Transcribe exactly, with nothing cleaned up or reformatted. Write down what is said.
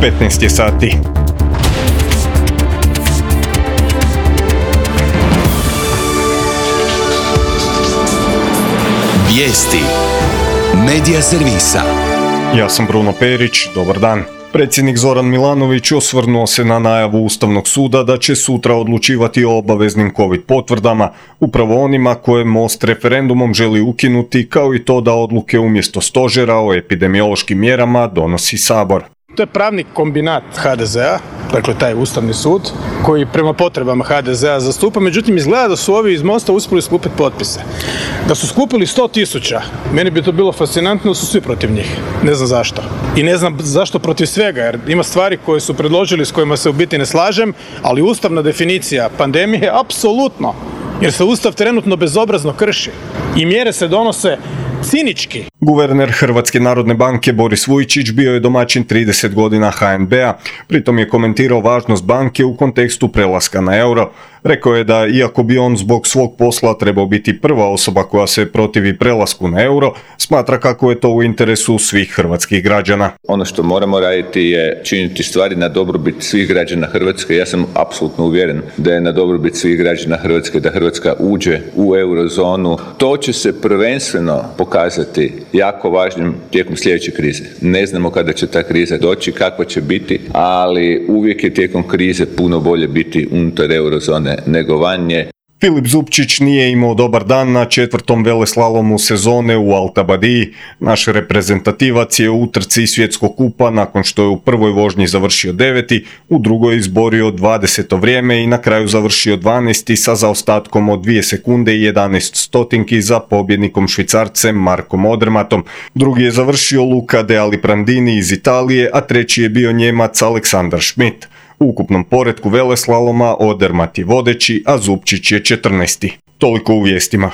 petnaest je sati. Vijesti Medija servisa. Ja sam Bruno Perić, dobar dan. Predsjednik Zoran Milanović osvrnuo se na najavu Ustavnog suda da će sutra odlučivati o obaveznim COVID potvrdama, upravo onima koje Most referendumom želi ukinuti, kao i to da odluke umjesto stožera o epidemiološkim mjerama donosi Sabor. To je pravni kombinat ha de zea, dakle taj Ustavni sud, koji prema potrebama ha de zea zastupa, međutim izgleda da su ovi iz Mosta uspjeli skupiti potpise. Da su skupili sto tisuća, meni bi to bilo fascinantno da su svi protiv njih. Ne znam zašto. I ne znam zašto protiv svega, jer ima stvari koje su predložili s kojima se u biti ne slažem, ali ustavna definicija pandemije apsolutno, jer se Ustav trenutno bezobrazno krši i mjere se donose cinički. Guverner Hrvatske narodne banke Boris Vujčić bio je domaćin trideset godina ha en be a, pritom je komentirao važnost banke u kontekstu prelaska na euro. Rekao je da iako bi on zbog svog posla trebao biti prva osoba koja se protivi prelasku na euro, smatra kako je to u interesu svih hrvatskih građana. Ono što moramo raditi je činiti stvari na dobrobit svih građana Hrvatske. Ja sam apsolutno uvjeren da je na dobrobit svih građana Hrvatske da Hrvatska uđe u eurozonu. To će se prvenstveno pokazati jako važnim tijekom sljedeće krize. Ne znamo kada će ta kriza doći, kakva će biti, ali uvijek je tijekom krize puno bolje biti unutar eurozone nego vanje. Filip Zupčić nije imao dobar dan na četvrtom veleslalomu sezone u Altabadiji. Naš reprezentativac je u utrci svjetskog kupa nakon što je u prvoj vožnji završio deveti, u drugoj izborio dvadeseto vrijeme i na kraju završio dvanaesti sa zaostatkom od dvije sekunde i jedanaest stotinki za pobjednikom Švicarcem Markom Odermatom. Drugi je završio Luca De Aliprandini iz Italije, a treći je bio Njemac Aleksandar Schmidt. U ukupnom poretku veleslaloma Odermat je vodeći, a Zupčić je četrnaesti. Toliko u vijestima.